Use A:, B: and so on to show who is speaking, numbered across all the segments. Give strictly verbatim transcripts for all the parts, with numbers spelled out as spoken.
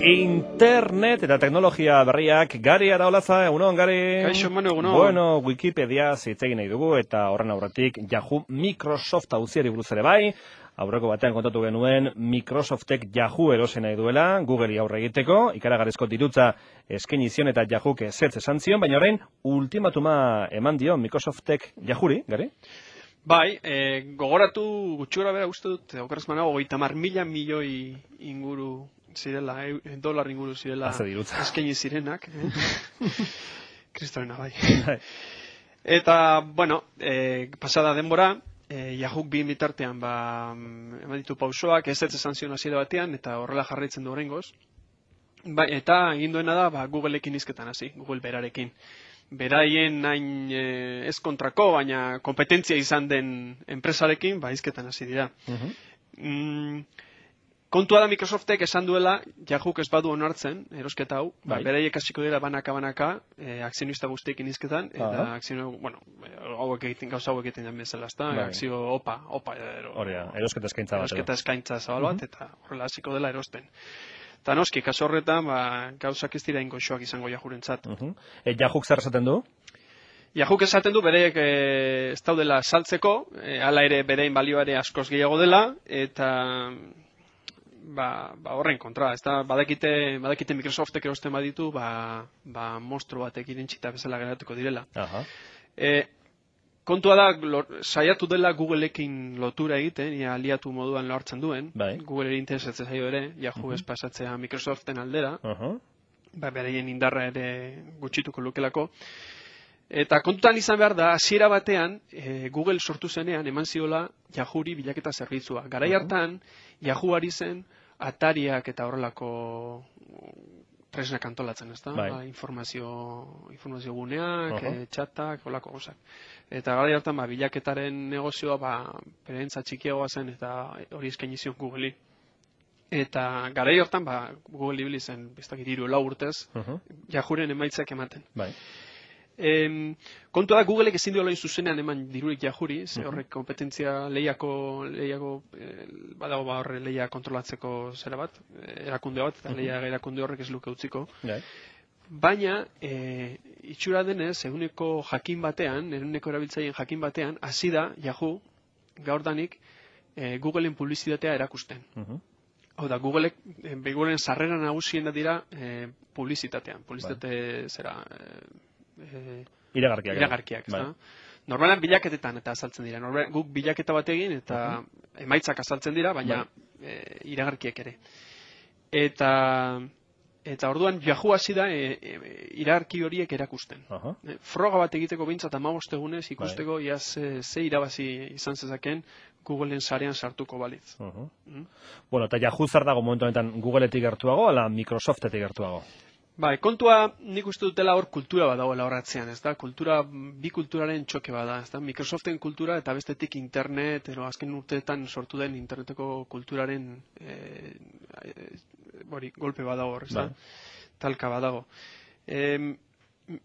A: Internet eta teknologia berriak, Gari Araolaza, egunon, Gari?
B: Kaixo, Manu, egunon.
A: Bueno, Wikipedia zitzegin nahi dugu, eta horren aurretik Yahoo Microsoft auziari buruz ere bai, aurreko batean kontatu genuen Microsoftek Yahoo erosi nahi duela, Googleri aurre egiteko, ikaragarrizko dirutza eskaini zion eta Yahoo ezetz esan zion, baina orain ultimatuma eman dio Microsoftek Yahoori, Gari?
B: Bai, e, gogoratu gutxura bera uste dut, okerrez manago, goita mar mila milioi inguru zirela, e, dolar inguru zirela eskaini zirenak. Eh? Kristorena bai. Eta, bueno, e, pasada denbora, e, Yahoo bi bitartean, ba, eman ditu pausoak, ez ez esan zion hasiera batean, eta horrela jarraitzen du oraingoz. Bai, eta egin duena da, ba, Googleekin hizketan hasi, Google berarekin. Beraien nain e, ez kontrako, baina kompetentzia izan den enpresarekin, ba, hizketan hasi dira. Uh-huh. mm, kontua da Microsoftek esan duela, Yahook ez badu onartzen, erosketa hau, bai. ba, beraiek hasiko dira banaka-banaka, e, akzionista guztiekin hizketan, eta uh-huh. akzionista, bueno, hauek egiten, gauza hauek egiten den bezala, ezta, bai. akzio opa, opa, ero,
A: Horea, erosketa eskaintza bat.
B: Erosketa eskaintza zabal bat, uh-huh. eta horrela hasiko dela erosten. Eta noski, kaso horretan, ba, gauzak ez dira ingoxoak izango Yahoorentzat.
A: Uh-huh. E, Yahook zer esaten du?
B: Yahook esaten du bereek e, ez daudela saltzeko, e, hala ere berein balioare askoz gehiago dela, eta ba, ba horren kontra, ez da, badakite, badakite Microsoftek erosten baditu, ba, ba monstru batek irentxita bezala geratuko direla. Uh-huh. E, Kontua da, lor, saiatu dela Googleekin lotura egiten, ia aliatu moduan lortzen duen. Bai. Google ere interesatzen zaio ere, Yahoo uh-huh. ez pasatzea Microsoften aldera. Uh-huh. Ba, beraien indarra ere gutxituko lukelako. Eta kontutan izan behar da, hasiera batean, e, Google sortu zenean, eman ziola Yahoori bilaketa zerbitzua. Garai hartan, uh-huh. Yahoo ari zen, Atariak eta horrelako tresnak antolatzen, ez da? Bai. Ba, informazio, informazio guneak, uh-huh. e, txatak, holako gozak. Eta gara hartan, ba, bilaketaren negozioa, ba, perentza txikiagoa zen, eta hori eskaini zion Google'i. Eta gara hartan, ba, Google ibili zen, bestak hiru lau urtez, uh-huh. Yahooren emaitzak ematen. Bai. Em, kontua da, Googleek ezin duela zuzenean eman dirurik Yahoori, ze uh-huh. horrek kompetentzia lehiako, lehiako eh, badago ba horre lehia kontrolatzeko zera bat, erakunde bat, eta uh-huh. lehia erakunde horrek ez luke utziko. Yeah. Baina, e, itxura denez, eguneko jakin batean, eguneko erabiltzaileen jakin batean, hasi da Yahoo gaurdanik e, Googleen publizitatea erakusten. Uh-huh. Hau da, Googleek, e, Googleen sarrera nagusien dira e, publizitatean. Publizitate bai. zera... E, E,
A: iragarkiak.
B: Iragarkiak, bai. Normalan bilaketetan eta azaltzen dira. Normal, guk bilaketa bat egin eta uh-huh. emaitzak azaltzen dira, baina bai. e, iragarkiak ere. Eta eta orduan Yahoo hasi da e, e, iragarki horiek erakusten. Uh-huh. E, froga bat egiteko behintzat hamabost egunez ikusteko bai. ia ze, ze irabazi izan zezaken Googleen sarean sartuko balitz. Uh-huh. Mm?
A: Bueno, eta Yahoo zer dago momentu honetan Googleetik gertuago, ala Microsoftetik gertuago?
B: Bai, kontua nik uste dutela hor kultura bat dagoela horratzean, ez da? Kultura, bi kulturaren txoke bada, ez da? Microsoften kultura eta bestetik internet, ero azken urteetan sortu den interneteko kulturaren e, e, bori, golpe badago hor, ez da? Bai. Talka badago. E,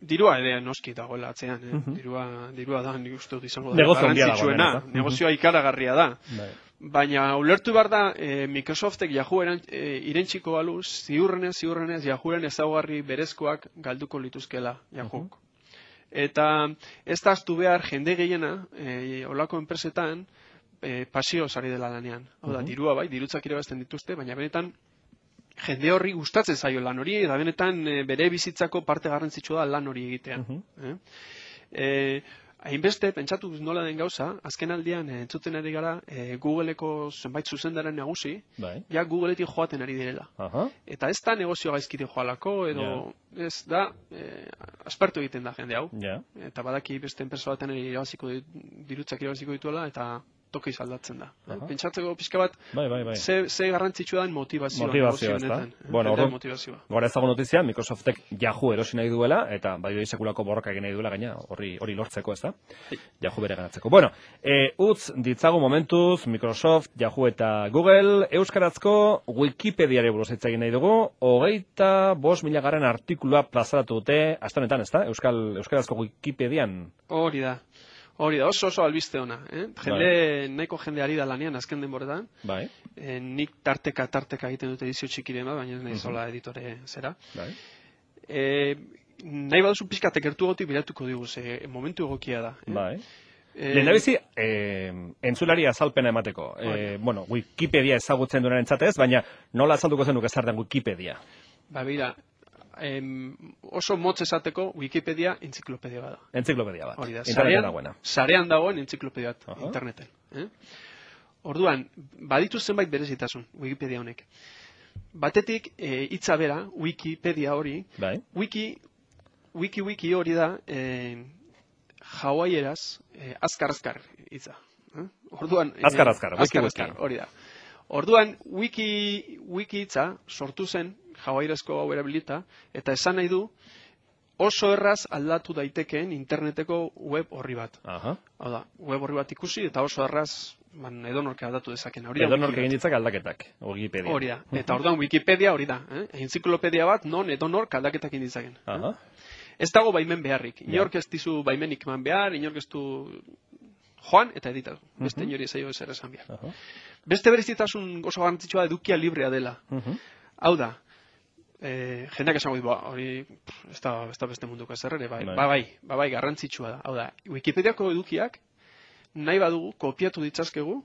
B: dirua ere noski dagoela atzean, eh? Uh-huh. dirua, dirua da, nik uste dut izango da. Garrantzitsuena, negozioa ikaragarria da. Bai. Baina ulertu behar da, e, Microsoftek Yahoo eran, e, irentsiko balu, ziurrenez, ziurrenez, Yahooren ezaugarri berezkoak galduko lituzkela Yahook. Uh-huh. Eta ez da aztu behar jende gehiena, e, olako enpresetan, e, pasio sari dela lanean. Hau da, uh-huh. dirua bai, dirutzak irabazten dituzte, baina benetan jende horri gustatzen zaio lan hori, eta benetan e, bere bizitzako parte garrantzitsua da lan hori egitea. Uh-huh. Eh? E, Hainbeste, pentsatu nola den gauza, azken aldian e, entzuten ari gara e, Googleeko zenbait zuzendaren nagusi, bai. ja Googleetik joaten ari direla. Uh-huh. Eta ez da negozio gaizkide joalako, edo yeah. ez da, e, aspertu egiten da jende hau. Yeah. Eta badaki beste enpresa baten irabaziko dirutzak irabaziko dituela, eta toki aldatzen da. Uh-huh. Pentsatzeko pixka bat, bai, bai, bai. Ze, ze garrantzitsua den motivazioa.
A: Motivazioa, ez da. Bueno, gora ezago notizia, Microsoftek Yahoo erosi nahi duela, eta bai sekulako borroka egin nahi duela gaina, hori hori lortzeko, ez da? Yahoo bere ganatzeko. Bueno, e, utz ditzagu momentuz, Microsoft, Yahoo eta Google, euskarazko Wikipediare buruz hitz egin nahi dugu, hogeita bost mila garen artikulua plazaratu dute, aste honetan, ez da? Euskal, euskarazko Wikipedian.
B: Hori da. Hori da, oso oso albiste ona. Eh? Jende, nahiko jende ari da lanean azken denboretan.
A: Bai.
B: Eh, nik tarteka, tarteka egiten dute edizio txikiren bat, baina ez nahi zola editore zera.
A: Bai.
B: Eh, nahi baduzu pixkatek gertu gotik biratuko digu, ze momentu egokia da. Eh?
A: Bai. Eh, Lehendabizi, eh, entzulari azalpena emateko. Eh, bueno, Wikipedia ezagutzen duenaren txatez, baina nola azalduko zenuk ez zartan Wikipedia?
B: Ba, bera, em, oso motz esateko Wikipedia entziklopedia bada.
A: Entziklopedia bat.
B: Hori da,
A: Interneten
B: sarean,
A: dagoena.
B: sarean dagoen entziklopedia bat,
A: Aha.
B: interneten. Eh? Orduan, baditu zenbait berezitasun Wikipedia honek. Batetik, eh, hitza bera, Wikipedia hori,
A: Bai.
B: wiki, wiki wiki hori da, eh, hawaiieraz, eh, azkar azkar hitza. Eh? Orduan, eh,
A: Azkar azkar, wiki
B: azkar,
A: wiki.
B: azkar, hori da. Orduan, wiki, wiki hitza sortu zen, hawaiierazko hau erabilita, eta esan nahi du, oso erraz aldatu daitekeen interneteko web horri bat.
A: Aha.
B: Hau da, web horri bat ikusi, eta oso erraz man, edonork aldatu dezaken. Hori da
A: Edonork
B: Wiki
A: egin
B: bat.
A: ditzak aldaketak, Wikipedia.
B: Hori da. Eta orduan Wikipedia hori da. Eh? Entziklopedia bat non edonork aldaketak egin ditzaken.
A: Aha.
B: Ez dago baimen beharrik. Inork ez dizu baimenik eman behar, inork ez du joan eta editatu. Beste inori ez zaio ezer esan behar.
A: Aha.
B: Beste berezitasun oso garrantzitsua edukia librea dela.
A: Mhm.
B: Hau da, eh, jendeak esango du, ba, hori pff, ez da, ez da beste munduko ezer ere, bai,
A: Bai.
B: ba, bai, ba, bai, garrantzitsua da. Hau da, Wikipediako edukiak nahi badugu kopiatu ditzazkegu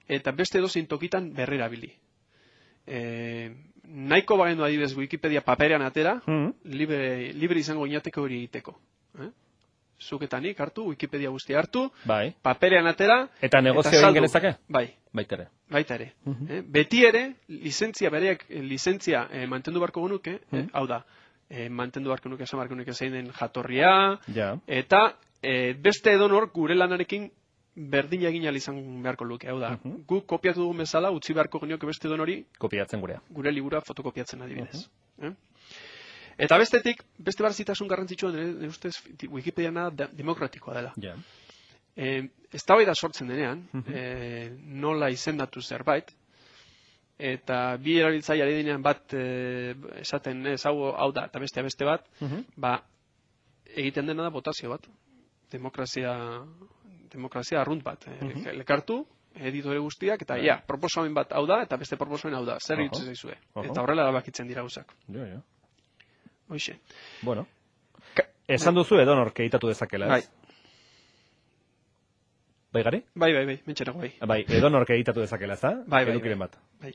B: eta beste edozein tokitan berrerabili. E, nahiko bagendu adibidez Wikipedia paperean atera,
A: Mhm.
B: libre, libre izango inateke hori egiteko. Eh? Zuk eta nik hartu, Wikipedia guztia hartu,
A: Bai.
B: paperean atera,
A: Eta negozio egin
B: saldu.
A: genezake?
B: Bai,
A: Baita ere.
B: baita ere.
A: Mhm.
B: Eh? Beti ere, lizentzia bereak, eh, lizentzia eh, mantendu beharko genuke, eh?
A: Mhm.
B: hau da, eh, mantendu beharko nuke, esan beharko nuke zein den jatorria,
A: Ja.
B: eta eh, beste edonor gure lanarekin berdin egin ahal izan beharko luke, hau da.
A: Mhm.
B: Guk kopiatu dugun bezala, utzi beharko genioke beste edonori
A: Kopiatzen gurea.
B: gure libura fotokopiatzen adibidez. Eh? Eta bestetik, beste barzitasun garrantzitsua nire ustez Wikipediana da, demokratikoa dela.
A: Ja.
B: E, ez da sortzen denean,
A: Mhm.
B: e, nola izendatu zerbait, eta bi erabiltzaile ari denean bat e, esaten ez hau, hau da, eta bestea beste bat,
A: Mhm.
B: ba, egiten dena da botazio bat. Demokrazia, demokrazia arrunt bat. E,
A: Mhm.
B: Lekartu, editore guztiak, eta
A: Bai.
B: ja, proposamen bat hau da, eta beste proposamen hau da. Zer
A: Aha.
B: iruditzen zaizue?
A: Aha.
B: Eta horrela erabakitzen dira gauzak.
A: Jo, jo.
B: Hoixe.
A: Bueno.
B: Ka-
A: Esan duzu edonork editatu dezakela, ez?
B: Bai.
A: Bai gari?
B: Bai, bai, bai, mentxerago bai.
A: Bai, edonork editatu dezakela, ez da?
B: Bai, bai,
A: Edukiren
B: bai.
A: bat.
B: Bai,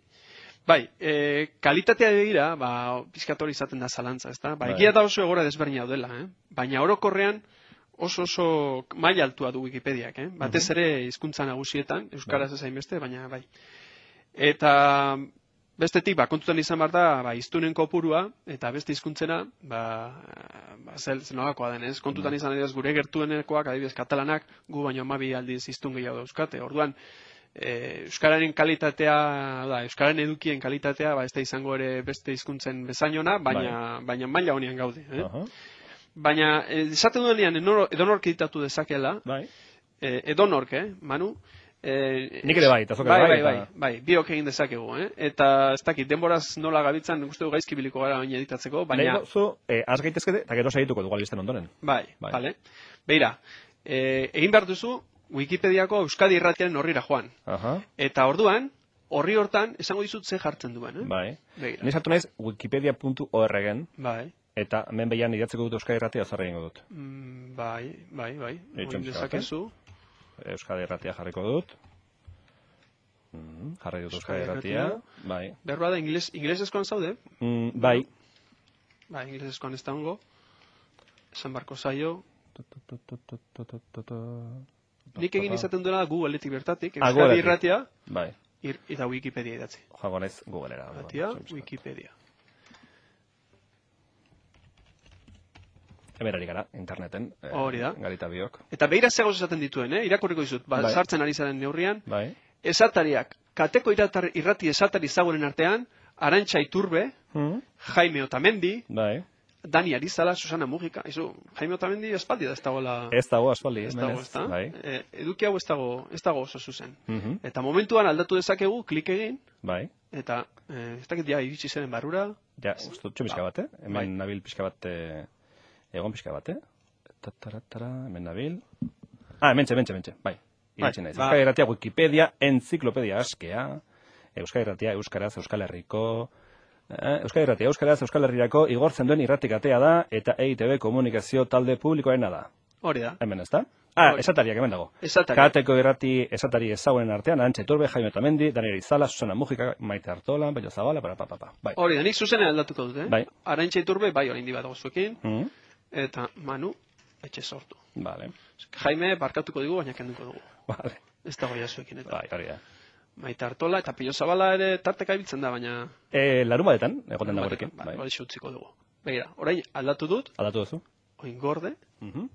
B: bai e, kalitatea begira, ba, pizkatori izaten da zalantza, ezta? Ba,
A: Bai.
B: egia da oso egora desberdina dela, eh? Baina orokorrean oso oso maila altua du Wikipediak, eh? Batez ere hizkuntza nagusietan, euskaraz ez hainbeste, baina bai. Eta bestetik, ba, kontutan izan behar da, ba, hiztunen kopurua, eta beste hizkuntzena, ba, ba zel, zenolakoa denez. Kontutan izan adibidez gure gertuenekoak, adibidez katalanak, gu baino hamabi aldiz hiztun gehiago dauzkate. Orduan, e, euskararen kalitatea, da, euskararen edukien kalitatea, ba, ez da izango ere beste hizkuntzen bezainona, baina, baina maila honean gaude. Eh?
A: Aha.
B: Baina, eh, esaten duenean, enor- edonork editatu dezakela,
A: Bai.
B: eh, edonork, eh, Manu, Eh,
A: Nik ere bai, eta zuk ere
B: bai,
A: bai,
B: bai,
A: eta-
B: bai, bai, biok egin dezakegu, eh? Eta ez dakit, denboraz nola gabitzan, nik uste du gaizki biliko gara baina editatzeko, baina...
A: Nahi zu, eh, az gaitezkete, eta gero segituko dugu albisten ondoren.
B: Bai,
A: Bai.
B: vale. Beira, eh, egin behar duzu Wikipediako Euskadi irratiaren horrira joan.
A: Aha.
B: Eta orduan, horri hortan, esango dizut ze jartzen duen, eh?
A: Bai.
B: Begira.
A: Ni sartu naiz wikipedia puntu org-en,
B: Bai,
A: eta hemen behian idatzeko dut Euskadi Irratia zarra egingo dut.
B: mm, bai, bai, bai.
A: Eitxo
B: Egin
A: pixka bat,
B: dezakezu.
A: Euskadi Irratia jarriko dut. Mm, jarri dut Euskadi
B: Euskadi
A: Irratia. Bai.
B: Behar da, ingles, inglesezkoan zaude?
A: Mm, bai.
B: Bai, inglesezkoan ez da hongo. Esan barko zaio. Nik egin izaten duela Googleetik bertatik,
A: Ah,
B: Euskadi
A: Googleetik.
B: irratia,
A: Bai.
B: ir, eta Wikipedia idatzi.
A: Joango naiz Googlera.
B: Irratia,
A: Bai, bai,
B: Wikipedia.
A: Hemen ari gara, interneten. eh,
B: Hori da.
A: Garita biok.
B: Eta behira zegoz esaten dituen, eh? Irakurriko dizut, ba,
A: Bai.
B: sartzen ari zaren neurrian.
A: Bai.
B: Esatariak, kateko iratar, irrati esatari zagoren artean, Arantxa Iturbe,
A: Mm,
B: Jaime Otamendi,
A: bai.
B: Dani Arizala, Susana Mujika. Izu, Jaime Otamendi espaldi da ez dagoela...
A: Ez dago aspaldi.
B: Ez
A: hemen
B: dago, ez da?
A: Bai.
B: E, eduki hau ez dago, ez dago oso zuzen.
A: Mhm,
B: Eta momentuan aldatu dezakegu, klik egin,
A: Bai.
B: eta eh, ez dakit ja iritsi zeren barrura.
A: Ja, uste dut pixka bat, eh? Hemen
B: Bai.
A: nabil pixka bat, eh, egon pixka bat, eh? Tataratara, hemen nabil. Ah, mentxe, mentxe, mentxe, bai. Iratxe naiz. Euskal Irratia, Wikipedia, enziklopedia askea, Euskal Irratia, Euskaraz, Euskal Herriko, eh, Euskal Irratia, Euskaraz, Euskal Herrirako igortzen duen irratikatea da, eta E I T B komunikazio talde publikoarena da.
B: Hori da.
A: Hemen ez da? Ah, esatariak hemen dago.
B: Esatari.
A: Kateko irrati esatari ezagunen artean, Arantxa Iturbe, Jaime Otamendi, Daniel Izala, Susana Mujika, Maite Artola, Bello Zabala, para pa, pa, pa. Bai.
B: Hori da, nik zuzenean aldatuko dut, eh?
A: Bai.
B: Arantxa Iturbe, bai, orain dibat gozuekin,
A: Mm.
B: eta Manu, etxe sortu.
A: Vale.
B: Jaime, barkatuko digu, baina kenduko dugu.
A: Vale.
B: Ez dago jazuekin, eta.
A: Bai, hori da.
B: Maite Artola, eta Pillo Zabala ere tarteka ibiltzen da, baina...
A: E, larun batetan, egoten da gurekin.
B: Bai, hori utziko dugu. Begira, orain aldatu dut,
A: Aldatu duzu?
B: oin gorde,
A: Mhm.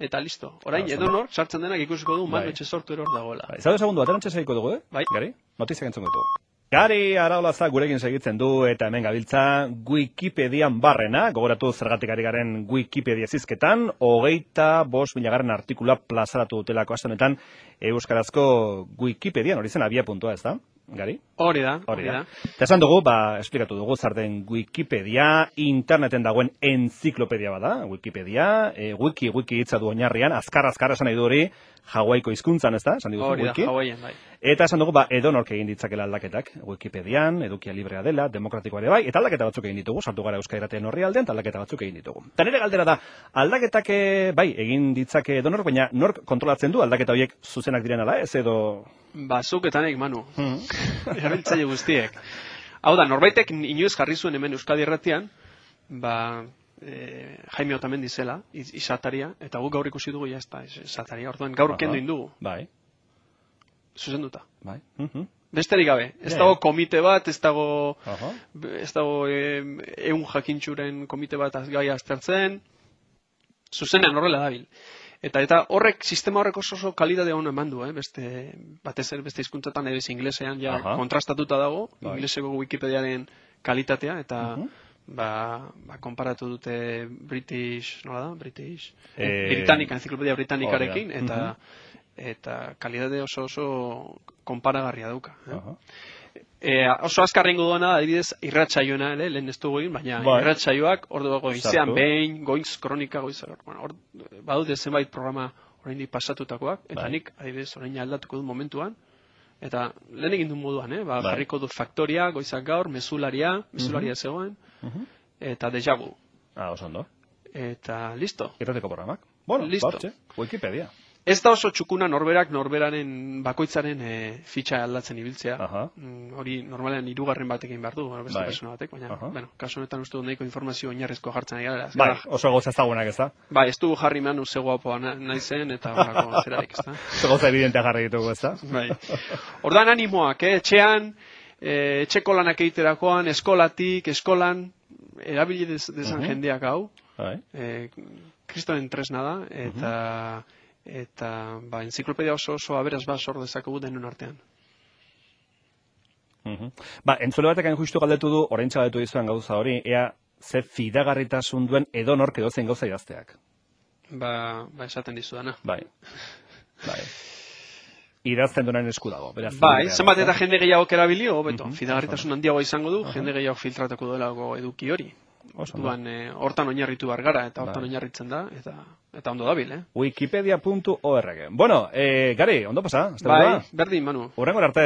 B: eta listo. Orain, edonor, sartzen denak ikusiko du, Manu etxe sortu eror dagoela.
A: Bai, zaude segundu, aterantxe segiko dugu, eh?
B: Bai.
A: Gari? Notiziak entzungo dugu. Gari Araolaza gurekin segitzen du eta hemen gabiltza Wikipedian barrena, gogoratu zergatik ari garen Wikipedia zizketan, hogeita bost milagarren artikula plazaratu dutelako aste honetan euskarazko Wikipedian, hori zen abia puntua, ez da? Gari?
B: Hori da,
A: hori da. Eta esan dugu, ba, esplikatu dugu zer den Wikipedia, interneten dagoen enziklopedia bada, Wikipedia, e, wiki, wiki hitza du oinarrian, azkar, azkar esan nahi du hori, Hawaiiko hizkuntzan, ez da? Esan diguzu,
B: hori da,
A: wiki.
B: Hawaiian, bai.
A: Eta esan dugu, ba, edonork egin ditzakela aldaketak, Wikipedian, edukia librea dela, demokratikoa ere bai, eta aldaketa batzuk egin ditugu, sartu gara Euskal Irratien horri aldean, eta aldaketa batzuk egin ditugu. Eta nire galdera da, aldaketak bai, egin ditzake edonork, baina nork kontrolatzen du aldaketa horiek zuzenak diren ala, ez edo...
B: Ba, zuk eta nik, Manu. Erabiltzaile guztiek. Hau da, norbaitek inoiz jarri zuen hemen Euskadi Irratian, ba, e, Jaime Otamendi zela, izataria, eta guk gaur ikusi dugu, ja ez da, izataria. Orduan, gaur kendu indugu.
A: Bai.
B: Zuzenduta.
A: Bai.
B: Besterik gabe. Ez dago komite bat, ez dago,
A: Aha.
B: ez dago ehun jakintxuren komite bat gai aztertzen, zuzenean horrela dabil. Eta eta horrek, sistema horrek oso oso kalidade hona eman du, eh? Beste, batez ere beste hizkuntzatan edo inglesean ja
A: Aha.
B: kontrastatuta dago,
A: Bai.
B: ingleseko Wikipediaren kalitatea, eta
A: Mhm.
B: ba, ba, konparatu dute British, nola da? British,
A: Eh,
B: Britannica, enziklopedia britanikarekin,
A: hori da.
B: eta eta kalidade oso oso konparagarria dauka. Eh?
A: Aha.
B: E, oso azkarrengo duena, adibidez, irratsaioena, ere, lehen ez dugu egin, baina
A: Bai.
B: irratsaioak, ordu goizean
A: Sartu.
B: behin, goiz kronika, goiz, bueno, or, badute zenbait programa oraindik pasatutakoak, eta
A: Bai.
B: nik, adibidez, orain aldatuko du momentuan, eta lehen egin du moduan, eh? ba,
A: Bai.
B: jarriko dut faktoria, goizak gaur, mezularia, mezularia zegoen,
A: Mhm.
B: eta déjà vu.
A: Ah, oso ondo.
B: Eta listo.
A: Irrateko programak. Bueno,
B: Listo.
A: bortxe, Wikipedia.
B: Ez da oso txukuna norberak norberaren bakoitzaren e, fitxa aldatzen ibiltzea.
A: Aha.
B: Mm, hori normalean hirugarren batekin behar du, beste
A: Bai.
B: persona batek, baina,
A: Aha.
B: bueno, kasu honetan uste dut nahiko informazio oinarrizko jartzen ari gara.
A: Bai, oso gauza ezagunak ez da.
B: Bai, ez dugu jarri manu ze guapoa na, nahi zen, eta horako zerarik, ez da.
A: Oso gauza evidentea jarri ditugu ez da.
B: Bai. Ordan animoak, eh? Etxean, eh, etxeko lanak egiterakoan, eskolatik, eskolan, erabili dez, dezan
A: Mhm.
B: jendeak hau,
A: Bai.
B: eh, kristoren tresna da, eta... eta ba, enziklopedia oso oso aberaz bat sor dezakegu denon artean.
A: Mhm. Ba, entzule batek hain justu galdetu du, orain galdetu dizuan gauza hori, ea ze fidagarritasun duen edonork edozein gauza idazteak.
B: Ba, ba esaten dizudana.
A: Bai. Bai. Idazten duenen esku dago. Beraz,
B: Bai,
A: librea,
B: zenbat
A: ez da?
B: eta jende gehiago erabilio, hobeto.
A: Mhm.
B: Fidagarritasun handiago izango du, jende gehiago filtratako duelako eduki hori.
A: Oso ondo.
B: Orduan, eh, hortan oinarritu behar gara, eta hortan
A: Bai.
B: oinarritzen da, eta eta ondo dabil, eh?
A: Wikipedia puntu org. Bueno, eh, Gari, ondo pasa?
B: Bai, berdin, Manu.
A: Hurrengora arte.